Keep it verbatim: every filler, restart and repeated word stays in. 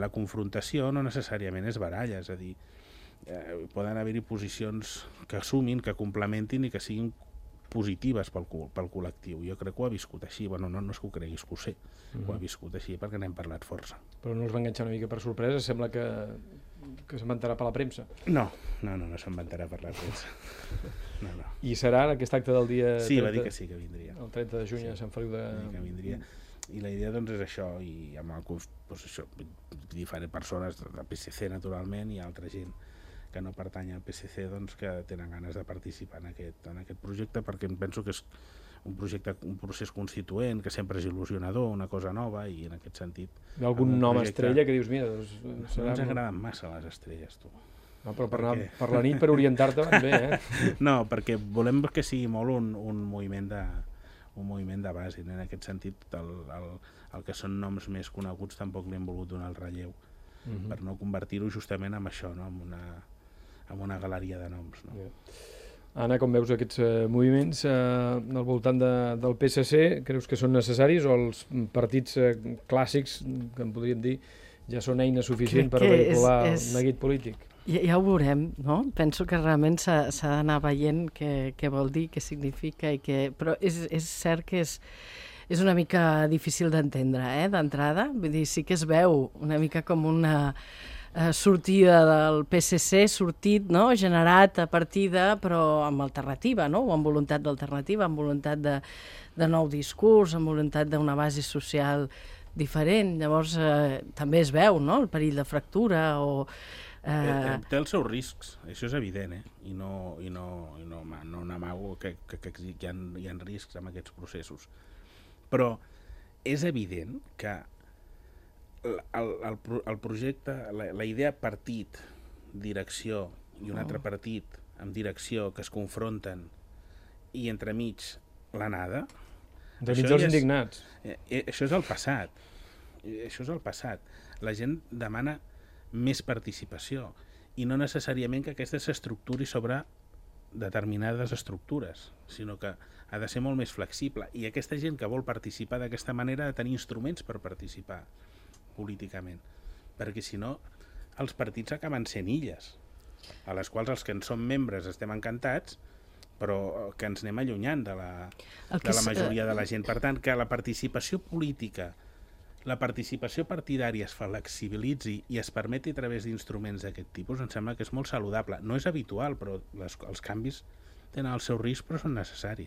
La confrontació no necessàriament és baralla, és a dir, eh, poden haver-hi posicions que assumin, que complementin i que siguin positives pel, pel col·lectiu. Jo crec que ho ha viscut així. Bueno, no, no és que ho creguis, que ho sé. Uh-huh. Ho ha viscut així perquè n'hem parlat força. Però no us va enganxar una mica per sorpresa? Sembla que, que s'inventarà per la premsa. No, no, no, no s'inventarà per la premsa. No, no. I serà aquest acte del dia... Sí, trenta, va dir que sí, que vindria. El trenta de juny sí, a Sant Feliu de... Va dir que vindria. I la idea doncs és això, i amb el, doncs això, diferents persones del P S C naturalment i altra gent que no pertany al P S C doncs, que tenen ganes de participar en aquest, en aquest projecte, perquè em penso que és un projecte, un procés constituent, que sempre és il·lusionador, una cosa nova, i en aquest sentit... Hi ha algun nom projecte... estrella que dius, mira... Doncs, serà... No ens agraden massa les estrelles, tu. No, però per, perquè... anar, per la nit, per orientar-te, van bé, eh? No, perquè volem que sigui molt un, un moviment de un moviment de base, en aquest sentit el, el, el que són noms més coneguts tampoc li hem volgut donar el relleu, uh-huh. per no convertir-ho justament en això, no? en, una, en una galeria de noms. No? Yeah. Anna, com veus aquests uh, moviments uh, al voltant de, del P S C, creus que són necessaris o els partits uh, clàssics, que en podríem dir, ja són eina suficient per vehicular és, és... el neguit polític? Ja, ja ho veurem, no? Penso que realment s'ha d'anar veient què, què vol dir, què significa, i què... però és, és cert que és, és una mica difícil d'entendre, eh, d'entrada. Vull dir, sí que es veu una mica com una eh, sortida del P S C, sortit, no?, generat a partir de, però amb alternativa, no?, o amb voluntat d'alternativa, amb voluntat de, de nou discurs, amb voluntat d'una base social diferent. Llavors, eh, també es veu, no?, el perill de fractura o... Eh, té els seus riscs, això és evident, eh? I no, i no, i no, no n'amago que, que, que hi, ha, hi ha riscs amb aquests processos. Però és evident que el, el, el projecte, la, la idea partit, direcció i un oh. altre partit amb direcció que es confronten i entremig l'anada... Entremig dels indignats. Eh, eh, això és el passat. Això és el passat. La gent demana més participació i no necessàriament que aquesta s'estructuri sobre determinades estructures, sinó que ha de ser molt més flexible, i aquesta gent que vol participar d'aquesta manera ha de tenir instruments per participar políticament, perquè si no els partits acaben sent illes a les quals els que en som membres estem encantats, però que ens anem allunyant de la, de la majoria de la gent. Per tant, que la participació política, la participació partidària es flexibilitzi i es permeti a través d'instruments d'aquest tipus, em sembla que és molt saludable. No és habitual, però les, els canvis tenen el seu risc, però són necessaris.